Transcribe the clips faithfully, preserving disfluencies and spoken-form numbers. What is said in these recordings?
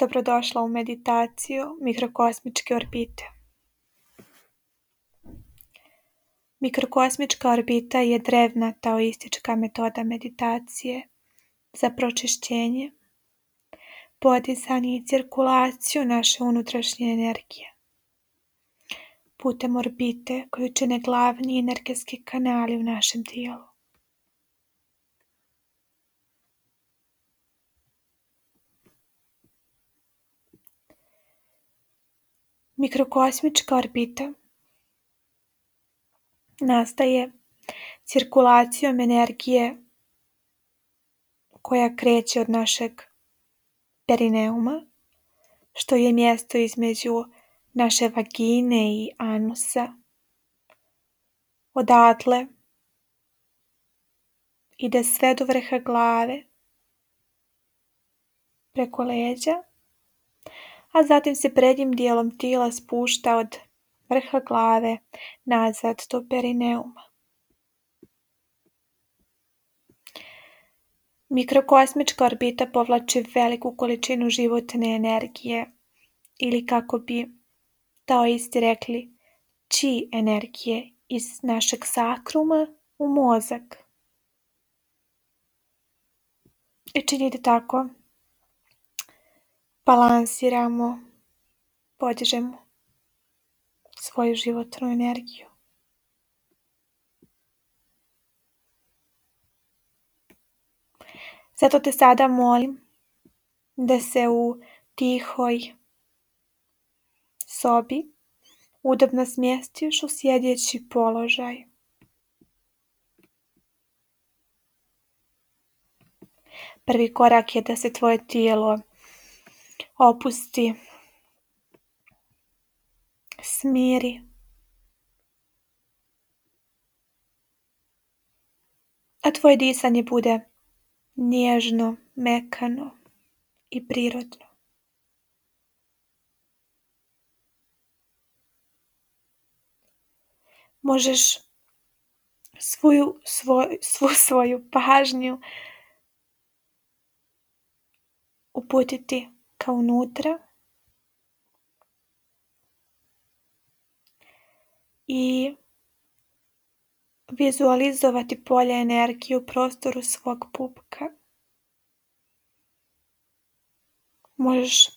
Dobrodošla u meditaciju mikrokosmičke orbite. Mikrokosmička orbita je drevna taoistička metoda meditacije za pročišćenje, podizanje i cirkulaciju naše unutrašnje energije putem orbite koju čine glavni energetski kanali u našem tijelu. Mikrokosmička orbita nastaje cirkulacijom energije koja kreće od našeg perineuma, što je mjesto između naše vagine i anusa. Odatle ide sve do vrha glave, preko leđa, a zatim se prednjim dijelom tijela spušta od vrha glave nazad do perineuma. Mikrokosmička orbita povlači veliku količinu životne energije ili, kako bi taoisti rekli, chi energije iz našeg sakruma u mozak. I čini da tako balansiramo, podižemo svoju životnu energiju. Zato te sada molim da se u tihoj sobi udobno smjestiš u sjedeći položaj. Prvi korak je da se tvoje tijelo opusti, smiri, a tvoje disanje bude nježno, mekano i prirodno. Možeš svoju, svoj, svu svoju pažnju uputiti ka unutra i vizualizovati polje energije u prostoru svog pupka. Možeš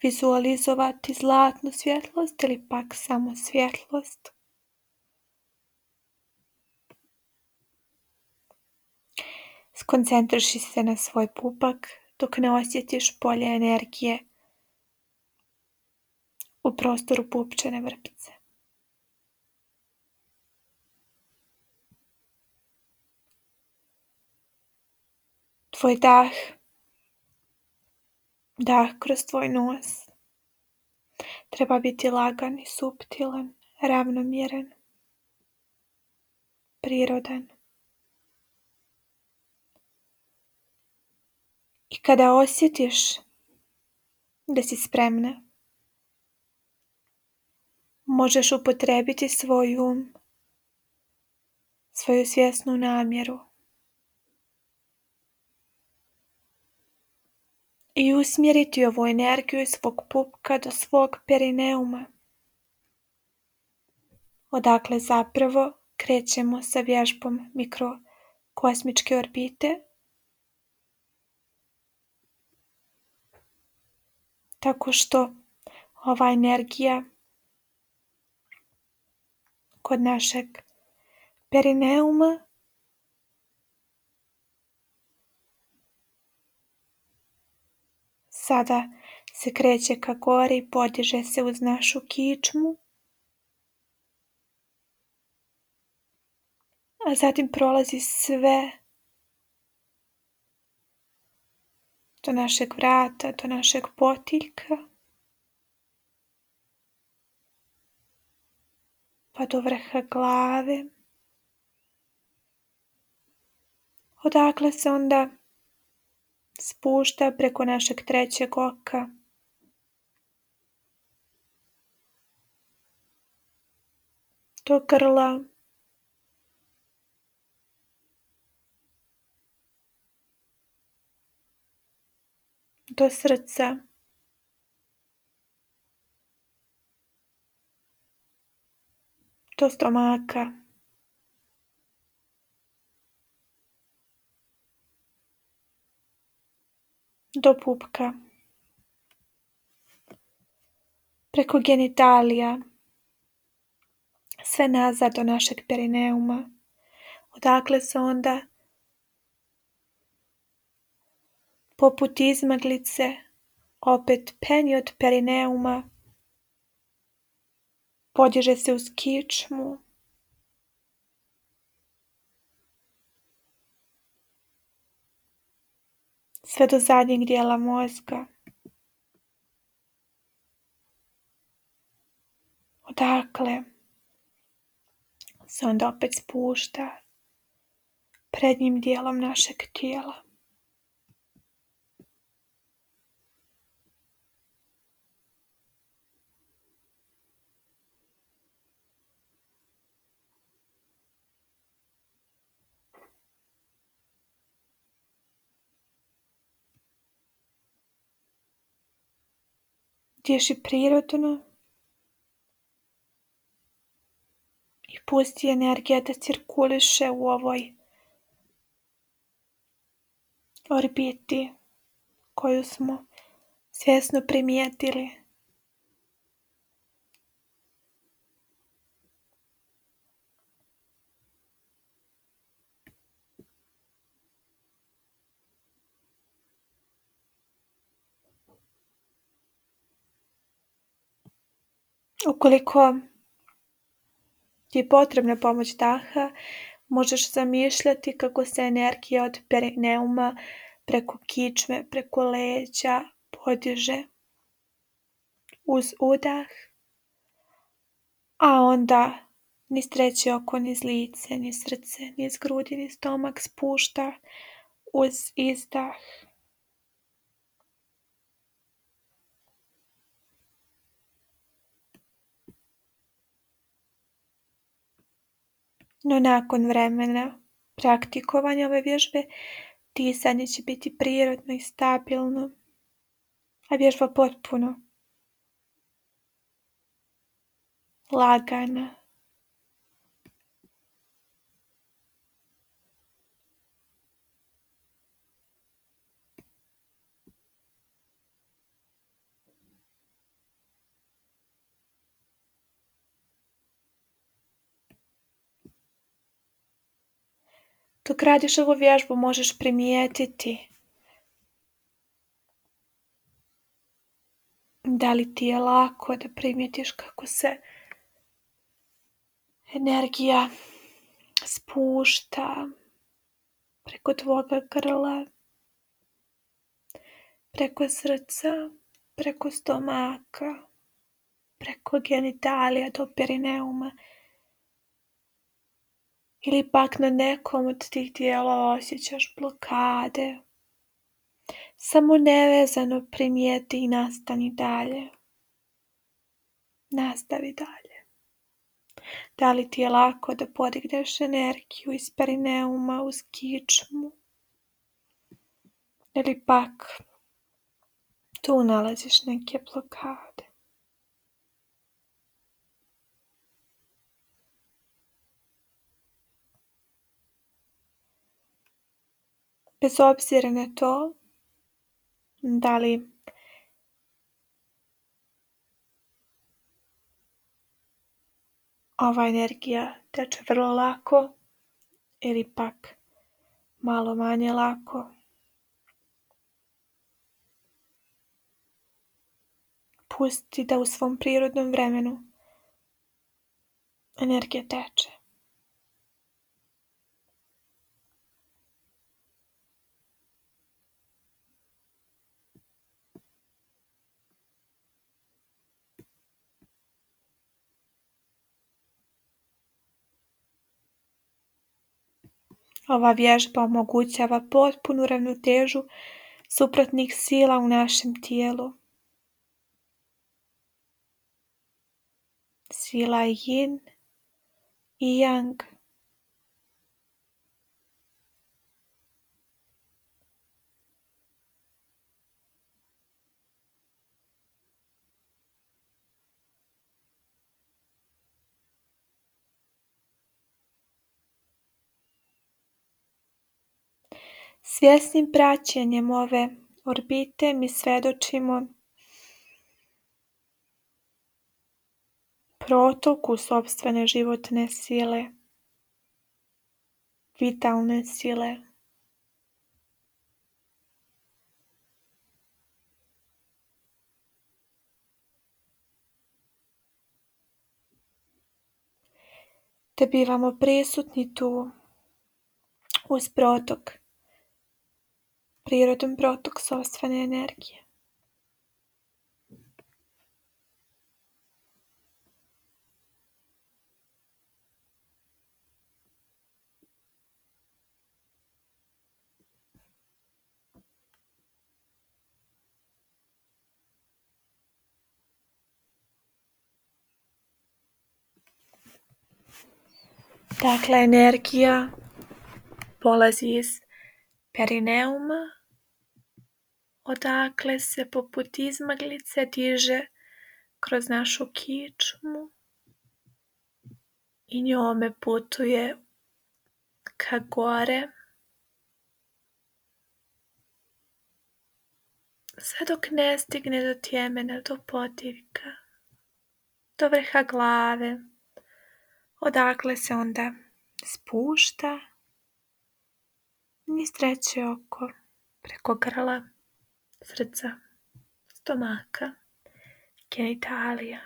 vizualizovati zlatnu svjetlost ili pak samo svjetlost. Skoncentriši se na svoj pupak dok ne osjetiš polje energije u prostoru pupčane vrpce. Tvoj dah, dah kroz tvoj nos, treba biti lagan i suptilan, ravnomjeran, prirodan. I kada osjetiš da si spremna, možeš upotrijebiti svoj um, svoju svjesnu namjeru i usmjeriti ovu energiju iz svog pupka do svog perineuma, odakle zapravo krećemo sa vježbom mikrokosmičke orbite, tako što ova energija kod našeg perineuma sada se kreće ka gori i podiže se uz našu kičmu, a zatim prolazi sve do našeg vrata, do našeg potiljka, pa do vrha glave, odakle se onda spušta preko našeg trećeg oka, do grla, do srca, do stomaka, do pupka, preko genitalija, sve nazad do našeg perineuma, odakle se onda poput izmaglice opet penje od perineuma, podiže se uz kičmu, sve do zadnjeg dijela mozga. Odakle se onda opet spušta prednjim dijelom našeg tijela. Diši prirodno i pusti energija da cirkuliše u ovoj orbiti koju smo svjesno primijetili. Ukoliko ti je potrebna pomoć daha, možeš zamišljati kako se energija od perineuma preko kičme, preko leđa podiže uz udah, a onda niz treće oko, niz lice, niz srce, niz grudi, niz stomak spušta uz izdah. No nakon vremena praktikovanja ove vježbe, disanje će biti prirodno i stabilno, a vježba potpuno lagana. Dok radiš ovu vježbu možeš primijetiti da li ti je lako, da primijetiš kako se energija spušta preko tvoga grla, preko srca, preko stomaka, preko genitalija do perineuma. Ili pak na nekom od tih dijelova osjećaš blokade. Samo nevezano primijeti i nastani dalje. Nastavi dalje. Da li ti je lako da podigneš energiju iz perineuma uz kičmu? Ili pak tu nalaziš neke blokade? Bez obzira na to, da li ova energija teče vrlo lako ili pak malo manje lako, pusti da u svom prirodnom vremenu energija teče. Ova vježba omogućava potpunu ravnotežu suprotnih sila u našem tijelu. Sila yin i yang. Svjesnim praćenjem ove orbite mi svedočimo protoku sopstvene životne sile, vitalne sile. Te bivamo prisutni tu uz protok, prirodan protok sopstvene energije. Dakle, energija polazi iz perineuma, odakle se poput izmaglice diže kroz našu kičmu i njome putuje ka gore, sve dok ne stigne do tjemena, do potirka, do vrha glave, odakle se onda spušta niz treće oko, preko grla, srca, stomaka, genitalija,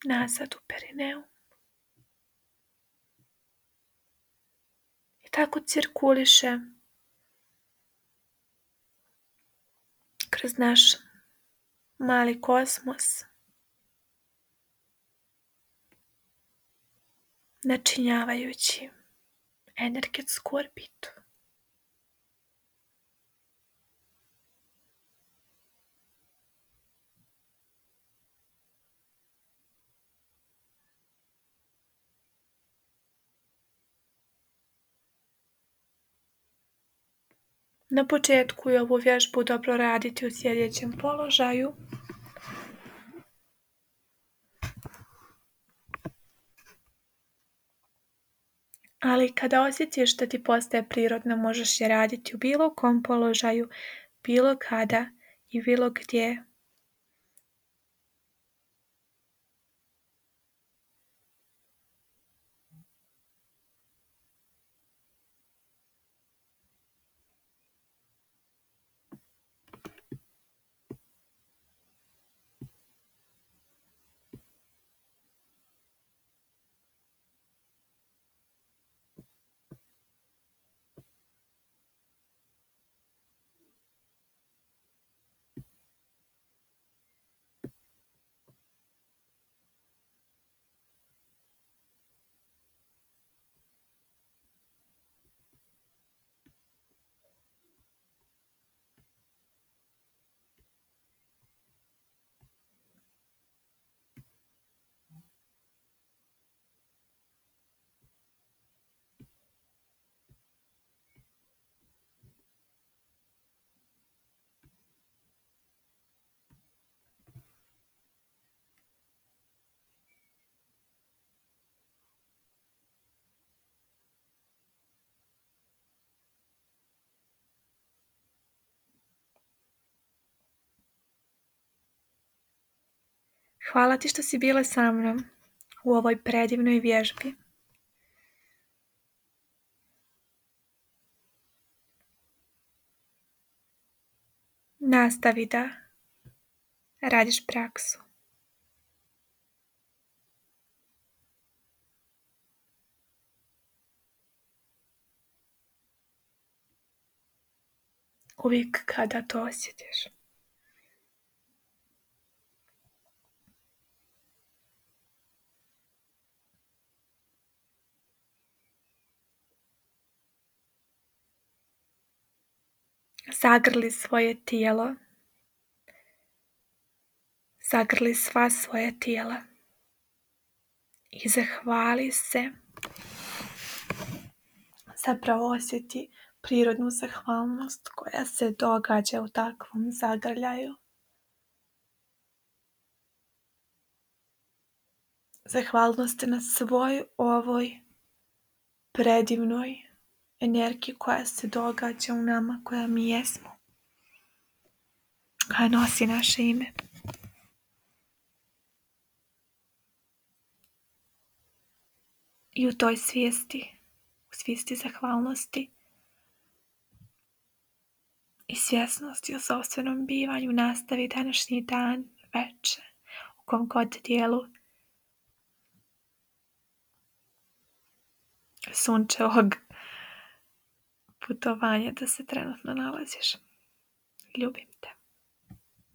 nazad u perineum. I tako cirkuliše kroz naš mali kosmos, načinjavajući energetsku orbitu. Na početku je ovu vježbu dobro raditi u sjedećem položaju. Ali kada osjetiš da ti postaje prirodno, možeš je raditi u bilo kom položaju, bilo kada i bilo gdje. Hvala ti što si bila sa mnom u ovoj predivnoj vježbi. Nastavi da radiš praksu. Uvijek kada to osjetiš. Zagrli svoje tijelo. Zagrli sva svoja tijela. I zahvali se. Zapravo osjeti prirodnu zahvalnost koja se događa u takvom zagrljaju. Zahvalnost na svoj ovoj predivnoj energiju koja se događa u nama, koja mi jesmo, koja nosi naše ime. I u toj svijesti, u svijesti zahvalnosti i svjesnosti o sopstvenom bivanju nastavi današnji dan, večer, u kom god dijelu sunčevog putovanja da se trenutno nalaziš. Ljubim te.